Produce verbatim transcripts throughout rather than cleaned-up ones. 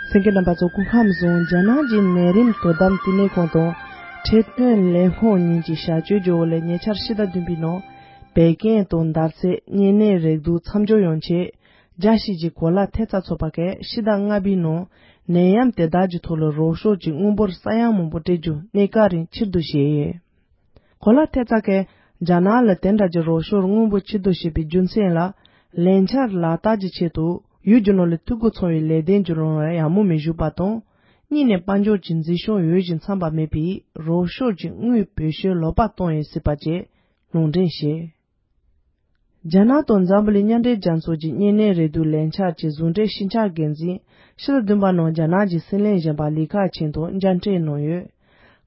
གསན་མཁན་རྣམ་པ་ཚོ་སྐུ་ཁམས་བཟང་། རྒྱ་ནག་གི་ནད་རིམས་དོ་དམ་བསྟི་གནས་ཁང་དང་འཕྲོད་བསྟེན་ལས་ཁུངས་གཉིས་ཀྱི་བྱ་སྤྱོད་ཀྱི་འོག་ལས་ཉེ་ཆར་ཕྱི་ཟླ་བདུན་པའི་ནང་བད་ཀན་དང་འདར་ཚད་གཉན་ནད་རེག་དུག་མཚམས་འཇོག་ཡོང་ཆེད་རྒྱལ་སྤྱི་གི་གོ་ལ་ཐེབས་རྩ་ཚོགས་པ་གིས་ཕྱི་ཟླ་ལྔ་པའི་ནང་ནད་ཡམས་དེ་དག་གི་ཐོག་ལ་རོགས་སྐྱོར་གྱི་དངུལ་འབོར་ས་ཡ་མང་པོ་སྤྲད་རྒྱུ་གནས་སྐབས་རིང་ཕྱིར་བསྡུ་བྱས་ཡོད། གོ་ལ་ཐེབས་རྩ་གིས་རྒྱ་ནག་ལ་དེ་འདྲ་གྱི་རོགས་སྐྱོར་དངུལ་འབོར་ཕྱིར་བསྡུ་བྱས་པའི་རྒྱུ་མཚན་ལ། ལས་འཆར་ལག་བསྟར་གྱི་ཆེད་དུ་ཡུལ་གྱི་ནང་ལ་འཐུས་སྒོ་ཚང་བའི་ལས་དོན་གྱི་རང་དབང་ཡག་མོ་མི་བཞུགས་པ་དང་། གཉིས་ནས་དཔལ་འབྱོར་གྱི་མཛེས་ཤོས་འོས་ཤིང་འཚམ་པ་མེད་པས་རོགས་སྐྱོར་གྱི་དངུལ་བེད་སྤྱོད་ལོག་པ་བཏང་ཡོད་སྲིད་པ་བཅས་ལུང་འདྲེན་བྱས། རྒྱ་ནག་དང་འཛམ་བུ་གླིང་མཉམ་འབྲེལ་རྒྱལ་ཚོགས་ཀྱི་གཉན་ནད་རེག་དུག་ལས་འཆར་གྱི་ཟུང་འབྲེལ་ཤེས་བྱ་འགན་འཛིན་ཕྱི་ཟླ་བདུན་པ་ནང་རྒྱ་ནག་གི་སྲིད་བློན་གཞོན་པ་ལི་ཁེ་ཆང་དང་མཇལ་འཕྲད་གནང་ཡོད།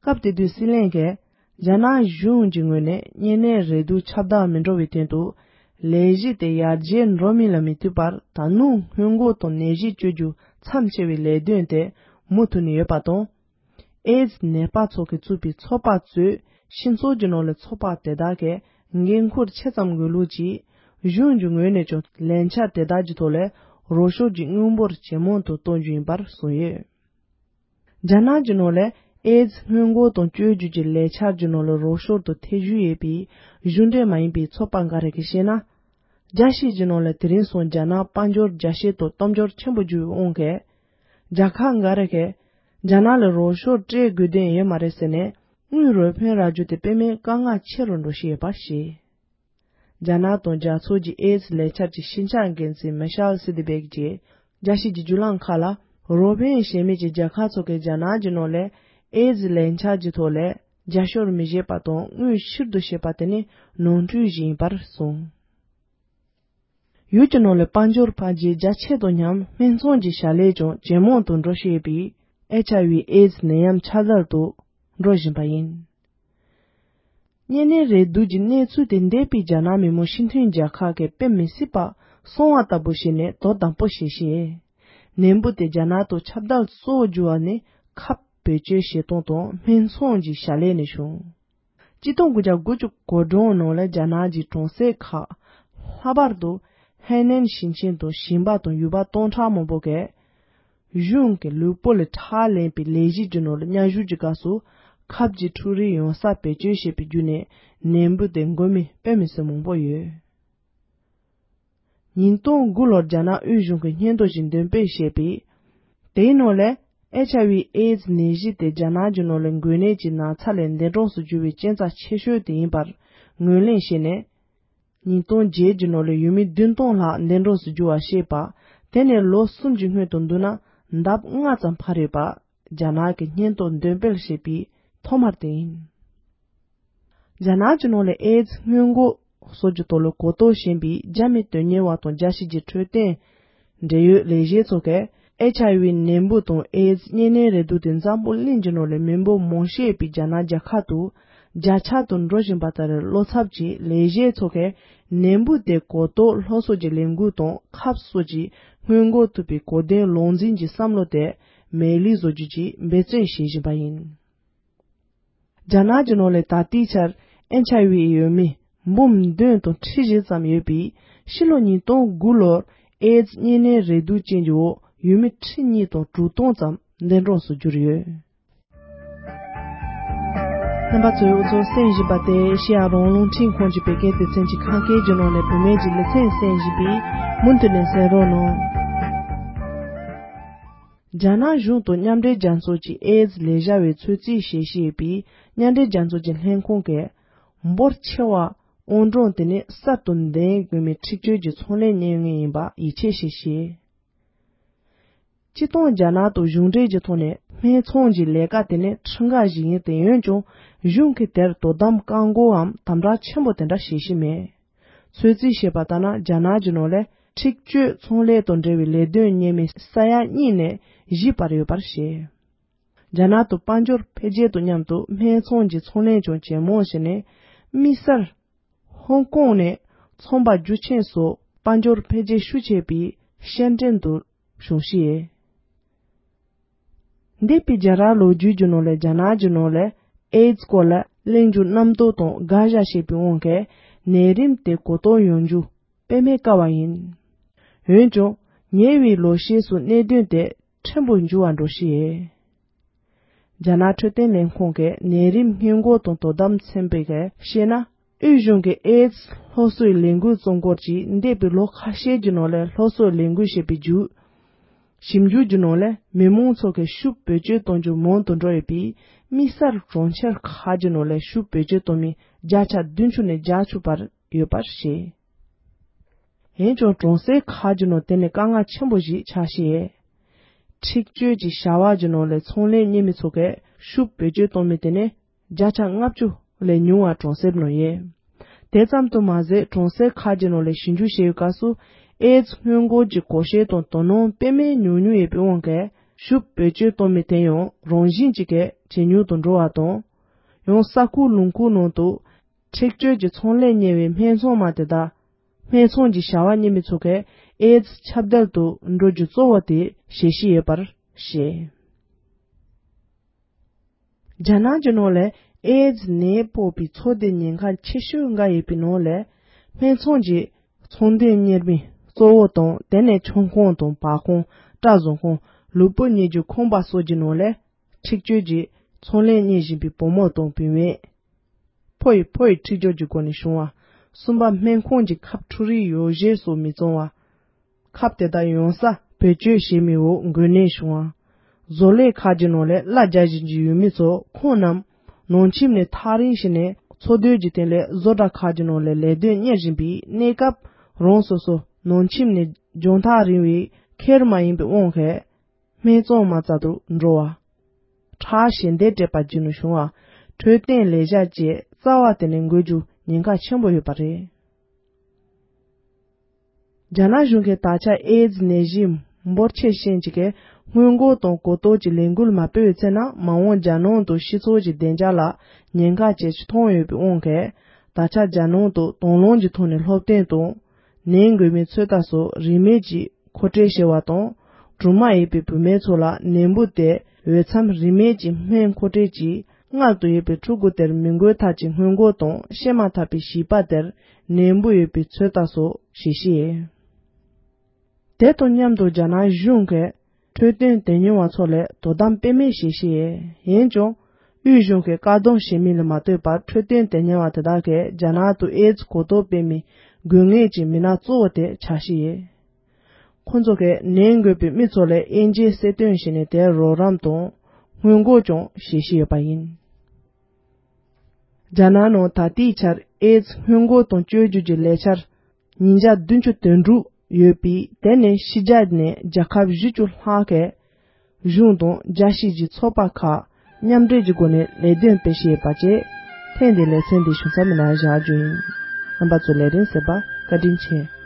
སྐབས་དེ་དུས་སྲིད་བློན་གྱིས། རྒྱ་ནག་གཞུང་གི་ངོས་ནས་གཉན་ནད་རེག་དུག་ཁྱབ་གདལ་མི་འགྲོ་བའི་དོན་དུ། ལས་གཞི་དེ་ཡར་རྒྱས་འགྲོ་མིན་ལ་མི་ལྟོས་པར་ད་ནུས་སྔོན་འགོག་དང་ནད་གཞི་བཅོས་རྒྱུ་མཚམས་ཆད་པའི་ལས་དོན་དེ་མུ་མཐུད་ནས་ཡོད་པ་དང་། ཨེ་ཛི་ནད་པ་ཚོ་གིས་བཙུགས་པའི་ཚོགས་པ་གཙོས་སྤྱི་ཚོགས་ཀྱི་ནང་ལ་ཚོགས་པ་དེ་དག་གིས་འགན་འཁུར་ཆེ་ཙམ་དགོས་ལུགས་ཀྱིས། གཞུང་གི་ངོས་ནས་ཀྱང་ལས་འཆར་དེ་དག་གི་ཐོག་ལས་རོགས་སྐྱོར་གྱི་དངུལ་འབོར་ཇེ་མང་དུ་གཏོང་རྒྱུ་ཡིན་པར་གསུངས་ཡོད། རྒྱ་ནག་གི་ནང་ལ་ཨེ་ཛི་སྔོན་འགོག་དང་བཅོས་བསྒྱུར་གྱི་ལས་འཆར་གྱི་ནང་ལ་རོགས་སྐྱོར་དུ་ཐེ་བྱུས་ཡོད་པའི་གཞུང་འབྲེལ་མ་ཡིན་པའི་ཚོགས་པ་འགའ་རེ་གིས་བཤད་ན། རྒྱལ་སྤྱི་གི་ནང་ལ་དེ་རིང་སང་རྒྱ་ནག་དཔལ་འབྱོར་རྒྱ་ཆེ་དང་སྟོབས་འབྱོར་ཆེན་པོ་གྱུར་བའི་དབང་གིས། རྒྱལ་ཁབ་འགའ་རེ་གིས་རྒྱ་ནག་ལ་རོགས་སྐྱོར་སྤྲད་དགོས་དོན་ཡོད་མ་རེད་ཟེར་ནས་དངུལ་རོགས་ཕན་རག་རྒྱུ་དེ་དཔེ་མེད་དཀའ་ངལ་ཆེ་རུ་འགྲོ་བཞིན་ཡོད་པ་བཤད། རྒྱ་ནག་དང་རྒྱལ་ཚོགས་ཀྱི་ཨེ་ཛི་ལས་འཆར་གྱི་ཤེས་བྱ་འགན་འཛིན་མི་ཤེལ་སི་ཏི་བེག་གིས་རྒྱལ་སྤྱི་གི་བརྒྱུད་ལམ་ཁག་ལ། རོགས་ཕན་བྱེད་མུས་ཀྱི་རྒྱལ་ཁབ་ཚོ་གིས་རྒྱ་ནག་གི་ནང་ལ་ཨེ་ཛི་ལས་འཆར་གྱི་ཐོག་ལ་རྒྱབ་སྐྱོར་མི་བྱེད་པ་དང་དངུལ་ཕྱིར་བསྡུ་བྱེད་པ་དེ་ནི་ནོར་འཁྲུལ་ཞིག་ཡིན་པར་གསུངས། ཡུལ་གྱི་ནང་ལ་དཔལ་འབྱོར་འཕར་རྒྱས་རྒྱ་ཆེ་དང་མཉམ་སྨན་ཚོང་གི་བྱ་ལས་ཀྱང་ཇེ་མང་དུ་འགྲོ་བཞིན་ཡོད་པས་ཨེཆ་ཨའི་ཝི་ཨེ་ཛི་ནད་ཡམས་ཁྱབ་གདལ་དུ་འགྲོ་བཞིན་པ་ཡིན། གཉན་ནད་རེག་དུག་གི་གནས་ཚུལ་དེ་འདས་པའི་རྒྱ་ནག་མི་དམངས་སྤྱི་མཐུན་རྒྱལ་ཁབ་ཀྱིས་དཔེ་མི་སྲིད་པ་སོང་བ་ལྟ་བུ་བྱས་ནས་དོ་དམ་པོ་བྱེད་བཞིན། ནད་འབུ་དེ་རྒྱ་ནག་ཏུ་ཁྱབ་གདལ་གཙོ་བོ་གྱུར་བ་ནི་ཁབ་བེད་སྤྱོད་བྱེད་སྟངས་དང་སྨན་ཚོང་གི་བྱ་ལས་ནས་བྱུང་། ཆིག་སྟོང་དགུ་བརྒྱ་དགུ་བཅུ་གོ་གྲངས་ནང་ལ་རྒྱ་ནག་གི་གྲོང་གསེབ་ཁག་ལྷག་པར་དུ་ཧའེ་ནན་ཞིང་ཆེན་དང་ཞིང་པ་དང་ཡུལ་པ་སྟོང་ཕྲག་མང་པོ་གིས། གཞུང་གི་ལུས་པོ་ལ་ཁྲག་ལེན་པའི་ལས་གཞི་གྱི་ནང་ལ་མཉམ་ཞུགས་ཀྱི་སྐབས་སུ་ཁབ་ཀྱི་འཕྲུལ་རིགས་ཡོང་ས་བེད་སྤྱོད་བྱས་པའི་བརྒྱུད་ནས་ནད་འབུ་དེ་འགོས་མི་དཔེ་མི་སྲིད་མང་པོ་ཡོད། ཉིས་སྟོང་དགུ་ལོར་རྒྱ་ནག་དབུས་གཞུང་གིས་སྙན་ཐོ་ཞིག་འདོན་སྤེལ་བྱས་པས། དེའི་ནང་ལས་ཨེཆ་ཨའི་ཝི་ཨེ་ཛི་ནད་གཞི་དེ་རྒྱ་ནག་གི་ནང་ལ་འགོས་ནད་ཀྱི་ན་ཚ་ལས་འདས་གྲོངས་སུ་གྱུར་བའི་རྐྱེན་རྩ་ཆེ་ཤོས་དེ་ཡིན་པར་ངོས་ལེན་བྱས་ནས། ཉིས་སྟོང་བརྒྱད་ཀྱི་ནང་ལ་ཡུལ་མི་བདུན་སྟོང་ལྷག་འདས་གྲོངས་སུ་གྱུར་བ་བཤད་པ། དེ་ནས་ལོ་གསུམ་གྱི་སྔོན་དུ་བསྡུར་ན་ལྡབ་ལྔ་ཙམ་འཕར་ཡོད་པ། རྒྱ་ནག་གིས་སྙན་ཐོ་འདོན་སྤེལ་བྱས་པའི་ཐོག་མར་དེ་ཡིན། རྒྱ་ནག་གི་ནང་ལ་ཨེ་ཛི་སྔོན་འགོག་སོགས་ཀྱི་ཐོག་ལ་གོ་རྟོགས་ཞན་པའི་རྒྱ་མི་དོན་གཉེར་བ་དང་རྒྱལ་སྤྱི་གི་འཕྲོད་བསྟེན་འབྲེལ་ཡོད་ལས་བྱེད་ཚོ་གིས་ཨེཆ་ཨའི་ཝི་ནད་འབུ་དང་ཨེ་ཛི་གཉན་ནད་རེག་དུག་དེ་འཛམ་བུ་གླིང་གི་ནང་ལ་མི་འབོར་མང་ཤོས་ཡོད་པའི་རྒྱ་ནག་རྒྱལ་ཁབ་ཏུ་རྒྱ་ཆག་ཏུ་འགྲོ་བཞིན་པ་ལྟར། བློ་འཚབ་ཀྱིས་ལས་བྱེད་ཚོ་གིས་ནད་འབུ་དེ་གོ་རྟོགས་སློབ་གསོ་གི་ལས་འགུལ་དང་ཁབ་སོགས་ཀྱིས་སྔོན་འགོག་ཐུབ་པའི་གོ་དོན་ལུང་འཛིན་གྱི་བསམ་བློ་དེ་མེད་ལུགས་བཟོ་རྒྱུ་གྱི་འབད་བརྩོན་བྱེད་བཞིན་པ་ཡིན། རྒྱ་ནག་གི་ནང་ལ་ད་ལྟའི་ཆར་ཨེཆ་ཨའི་ཝི་ཡོད་མི་འབུམ་བདུན་དང་ཁྲི་བཞི་ཙམ་ཡོད་པས། ཕྱི་ལོ་ཉིས་སྟོང་དགུ་ལོར་ཨེ་ཛི་གཉན་ནད་རེག་དུག་ཅན་གྱི་འོག་ཡུལ་མི་ཁྲི་གཉིས་དང་དྲུག་སྟོང་ཙམ་འདས་གྲོངས་སུ་གྱུར་ཡོད། རྣམ་པ་ཚོས་འུ་ཚོ་གསན་བཞིན་པ་དེ་ཨེ་ཤེ་ཡ་རང་དབང་རླུང་འཕྲིན་ཁང་གི་བོད་སྐད་སྡེ་ཚན་གྱི་ཁམས་སྐད་ཀྱི་ནང་ནས་བུད་མེད་ཀྱི་ལེ་ཚན་གསན་བཞིན་པས། མུ་མཐུད་ནས་གསན་རོགས་གནང་། རྒྱ་ནག་གཞུང་དང་མཉམ་འབྲེལ་རྒྱལ་ཚོགས་ཀྱི་ཨེ་ཛི་ལས་བྱ་བའི་ཚོད་རྩིས་བྱེད་བཞིན་ཡོད་པས། མཉམ་འབྲེལ་རྒྱལ་ཚོགས་ཀྱི་ལྷན་ཁང་གིས་འབོར་ཆེ་བ་དབང་གྲངས་དེ་ནི་གསར་དུ་འདེམས་དགོས་མིའི་འཁྲིག་སྤྱོད་ཀྱི་ཚོང་ལས་གཉེར་མཁན་ཡིན་པ་ཡིད་ཆེས་བྱེད་བཞིན། སྤྱིར་བཏང་རྒྱ་ནག་དང་གཞུང་འབྲེལ་གྱི་ཐོག་ནས་སྨན་ཚོང་གི་ལས་ཀ་དེ་ནི་ཁྲིམས་འགལ་ཞིག་ཡིན། དེ་འོན་ཀྱང་གཞུང་གིས་དེར་དོ་དམ་བཀག་འགོག་འམ་དམ་དྲག་ཆེན་པོ་དེ་འདྲ་བྱེད་བཞིན་མེད། ཚོད་རྩིས་བྱས་པ་ལྟར་ན། རྒྱ་ནག་གི་ནང་ལས་འཁྲིག་སྤྱོད་ཚོང་ལས་དང་འབྲེལ་བའི་ལས་དོན་གཉེར་མི་ས་ཡ་གཉིས་ནས་བཞི་བར་ཡོད་པར་བཤད། རྒྱ་ནག་ཏུ་དཔལ་འབྱོར་འཕེལ་རྒྱས་དང་མཉམ་དུ་སྨན་ཚོང་གི་ཚོང་ལས་ཀྱང་ཇེ་མང་ཕྱིན་ནས། དམིགས་བསལ་ཧོང་ཀོང་ནས་ཚོང་པ་རྒྱུ་ཆེན་སོགས་དཔལ་འབྱོར་འཕེལ་རྒྱས་ཤུགས་ཆེ་བའི་ཤན་ཀྲེན་དུ་བྱུང་ཞིང་། འདས་པའི་རྒྱལ་རབས་ལོ་རྒྱུས་ཀྱི་ནང་ལས་རྒྱ་ནག་གི་ནང་ལས་ཨེ་ཛི་སྐོར་ལ་གླེང་རྒྱུ་རྣམ་རྟོག་དང་དགག་བཞག་བྱས་པའི་དབང་གིས་ནད་རིམས་དེ་གོ་རྟོགས་ཡོང་རྒྱུ་དཔེ་མེད་དཀའ་བ་ཡིན། འོན་ཀྱང་ཉེ་བའི་ལོ་ཤས་སུ་གནད་དོན་དེ་ ཆེན་པོ་འགྱུར་བ་འགྲོ་ཤི་ཡེ། རྒྱ་ནག་འཕྲོད་བསྟེན་ལས་ཁུངས་ཀྱི་ནད་རིམས་སྔོན་འགོག་དང་དོ་དམ་ཚན་པས་བཤད་ན། དབུས་གཞུང་གི་ཨེ་ཛི་སློབ་གསོའི་ལས་འགུལ་བཙུགས་སྐོར་གྱིས་འདས་པའི་ལོ་ཁ་ཤས་ཀྱི་ནང་ལ་སློབ་གསོའི་ལས་འགུལ་བྱས་པའི་བརྒྱུད། ཞིབ་འཇུག་གི་ནང་ལ་མི་མང་ཚོ་གི་ཤུགས་བེད་སྤྱོད་གཏོང་རྒྱུ་མང་དུ་འགྲོ་ཡོད་པས། དམིགས་བསལ་གྲོང་ཁྱེར་ཁག་གི་ནང་ལ་ཤུགས་བེད་སྤྱོད་གཏོང་མི་བརྒྱ་ཆ་བདུན་ཅུ་ནས་བརྒྱད་ཅུ་བར་ཡོད་པར་བཤད། འོན་ཀྱང་གྲོང་གསེབ་ཁག་གི་ནང་དེ་ནི་དཀའ་ངལ་ཆེན་པོ་ཞིག་ཆགས་ཤི་ཡེ། འཁྲིག་སྤྱོད་ཀྱི་བྱ་བ་གི་ནང་ལ་ཚོང་ལས་གཉེར་མི་ཚོ་གས་ཤུགས་བེད་སྤྱོད་གཏོང་མི་དེ་ནི་བརྒྱ་ཆ་ལྔ་བཅུ་ལས་ཉུང་བ་གྲོང་གསེབ་ནང་ཡོད། དེ་ཙམ་དུ་མ་ཟད། གྲོང་གསེབ་ཁག་གི་ནང་ལ་ཞིབ་འཇུག་བྱེད་པའི་སྐབས་སུ། ཨེ་ཛི་སྔོན་འགོག་གི་གོ་ཤེས་དང་དོ་སྣང་དཔེ་མེད་ཉུང་ཉུང་ཡོད་པའི་དབང་གིས། ཤུགས་བེད་སྤྱོད་གཏོང་མི་དེ་ཡང་རང་བཞིན་གྱིས་ཇེ་ཉུང་དུ་འགྲོ་བ་དང་། ཡང་ས་ཁུལ་ལུང་ཁུལ་ནང་དུ་འཁྲིག་སྤྱོད་ཀྱི་ཚོང་ལས་གཉེར་བའི་སྨད་འཚོང་མ་དེ་དག་སྨད་འཚོང་གི་བྱ་བ་གཉེར་མི་ཚོ་གས་ཨེ་ཛི་ཁྱབ་གདལ་དུ་འགྲོ་རྒྱུ་གཙོ་བོ་དེ་བྱེད་ཤི་ཡོད་པར་བཤད། རྒྱ་ནག་གི་ནང་ལ་ཨེ་ཛི་ནད་ཕོག་པའི་ཚོ་སྡེ་ཉེན་ཁ་ཆེ་ཤོས་འགའ་ཡོད་པའི་ནང་ལ། སྨད་འཚོང་གི་ཚོང་སྡེ་གཉེར་མི་གཙོ་བོ་དང་། དེ་ནས་ཆང་ཁང་དང་། པར་ཁང་། སྐྲ་བཟོ་ཁང་། ལུས་པོ་མཉེད་རྒྱུ་ཁང་པ་སོགས་ཀྱི་ནང་ལ། འཁྲིག་སྤྱོད་ཀྱི་ཚོང་ལས་གཉེར་བཞིན་པའི་བུ་མོ་དང་བུད་མེད། ཕོ་ཡི་ཕོ་ཡི་འཁྲིག་སྦྱོར་གྱི་སྒོ་ནས་བྱུང་བ། གསུམ་པ། སྨན་ཁང་གི་ཁབ་འཁྲུ་རིགས་ཡོ་བྱད་སོགས་མི་བཙོང་བ། ཁབ་དེ་དག་ཡོང་ས་བེད་སྤྱོད་བྱེད་མི་འོག་འགོས་ནད་བྱུང་བ། བཟོ་ལས་ཁག་གི་ནང་ལ་གླ་རྒྱག་བཞིན་གྱི་ཡུལ་མི་ཚོ་ཁོང་རྣམས་ནང་ཁྱིམ་ནས་ཐག་རིང་ཞིག་ནས་འཚོ་སྡོད་ཀྱི་སྟེང་ལ་བཟོ་གྲྭ་ཁག་གི་ནང་ལ་ལས་དོན་གཉེར་བཞིན་པའི་གནས་སྐབས། རང་སོ་སོ་ནང་ཁྱིམ་ནས་རྒྱང་ཐག་རིང་བའི་ཁེར་མ་ཡིན་པའི་དབང་གིས། སྨད་འཚོང་མ་རྩ་དུ་འགྲོ་བ། ཁྲག་ཞལ་འདེབས་སྤྲད་པ་བརྒྱུད་ནས་བྱུང་བ། འཕྲོད་བསྟེན་ལས་བྱ་བཅས་རྩ་བ་དེ་ནས་འགོས་རྒྱུ་ཉེན་ཁ་ཆེན་པོ་ཡོད་པ་རེད། རྒྱ་ནག་གཞུང་གིས་ད་ཆ་ཨེ་ཛི་ནད་གཞི་འབོར་ཆེ་ཤོས་ཅིག་གི་སྔོན་འགོག་དང་གོ་རྟོགས་ཀྱི་ལས་འགུལ་མ་སྤེལ་བའི་ཚེ་ན། མ་འོངས་རྒྱལ་ནང་དུ་སྤྱི་ཚོགས་ཀྱི་བདེ་འཇགས་ལ་ཉེན་ཁ་ཇེ་ཆེ་མཐོང་ཡོད་པའི་དབང་གིས། ད་ཆ་རྒྱལ་ནང་དུ་དང་བླངས་ཀྱི་ཐོག་ནས་སློབ་སྟོན་དང་། ནད་འགོས་མའི་ཚོད་ལྟ་སོགས་རིན་མེད་ཀྱིས་མཁོ་སྤྲོད་བྱས་པ་དང་། སྦྲུམ་མ་ཡོད་པའི་བུད་མེད་ཚོ་ལ་ནད་འབུ་དེ་འོས་འཚམ་རིན་མེད་ཀྱི་སྨན་མཁོ་སྤྲོད་ཀྱིས། མངལ་དུ་ཡོད་པའི་ཕྲུ་གུ་དེར་མི་འགོས་ཐབས་ཀྱི་སྔོན་འགོག་དང་། སྐྱེས་མ་ཐག་པའི་བྱིས་པ་དེར་ནད་འབུ་ཡོད་པའི་ཚོད་ལྟ་སོགས་བྱེད་ཤི་ཡོད། དེ་དང་མཉམ་དུ་རྒྱ་ནག་གཞུང་གིས་འཕྲོད་བསྟེན་དོན་གཉེར་བ་ཚོ་ལ་དོ་དམ་དཔེ་མེད་བྱེད་ཤི་ཡོད། འོན་ཀྱང་། དབུས་གཞུང་གིས་བཀག་སྡོམ་བྱེད་མིན་ལ་མ་ལྟོས་པར། འཕྲོད་བསྟེན་དོན་གཉེར་བ་དེ་དག་གིས་རྒྱ་ནག་ཏུ་ཨེ་ཛི་གོ་རྟོགས་སྤེལ་མི་དགོས་ངེས་ཀྱི་མི་སྣ་གཙོ་བོ་དེ་ཆགས་ཤི་ཡོད། ཁོང་ཚོ་གིས་ནད་འགོས་པའི་མི་ཚོ་ལ་དབྱེ་འབྱེད་གསལ་སྟོན་བྱས་ནས། དེར་རོགས་རམ་དང་སྔོན་འགོག་ཀྱང་བྱེད་བཞིན་ཡོད་པ་ཡིན། རྒྱ་ནག་ནང་ད་ལྟའི་ཆར་ཨེ་ཛི་སྔོན་འགོག་དང་བཅོས་བསྒྱུར་གྱི་ལས་འཆར་ཉིས་བརྒྱ་བདུན་ཅུ་དོན་དྲུག་ཡོད་པས། དེ་ནི་ཕྱི་རྒྱལ་ནས་རྒྱལ་ཁབ་བཞི་བཅུ་ལྷག་གིས་གཞུང་དང་རྒྱལ་སྤྱིའི་ཚོགས་པ་ཁག་མཉམ་འབྲེལ་གྱི་སྒོ་ནས་ལས་དོན་སྤེལ་བཞིན་ཡོད་པ་བཅས། ཐེངས་འདིའི་ལེ་ཚན་འདི་ཞུ་མཚམས་མི་ནང་བཞག་རྒྱུ་ཡིན། རྣམ་པ་ཚོས་ལས་རིམ་གསན་པར་བཀའ་དྲིན་ཆེ།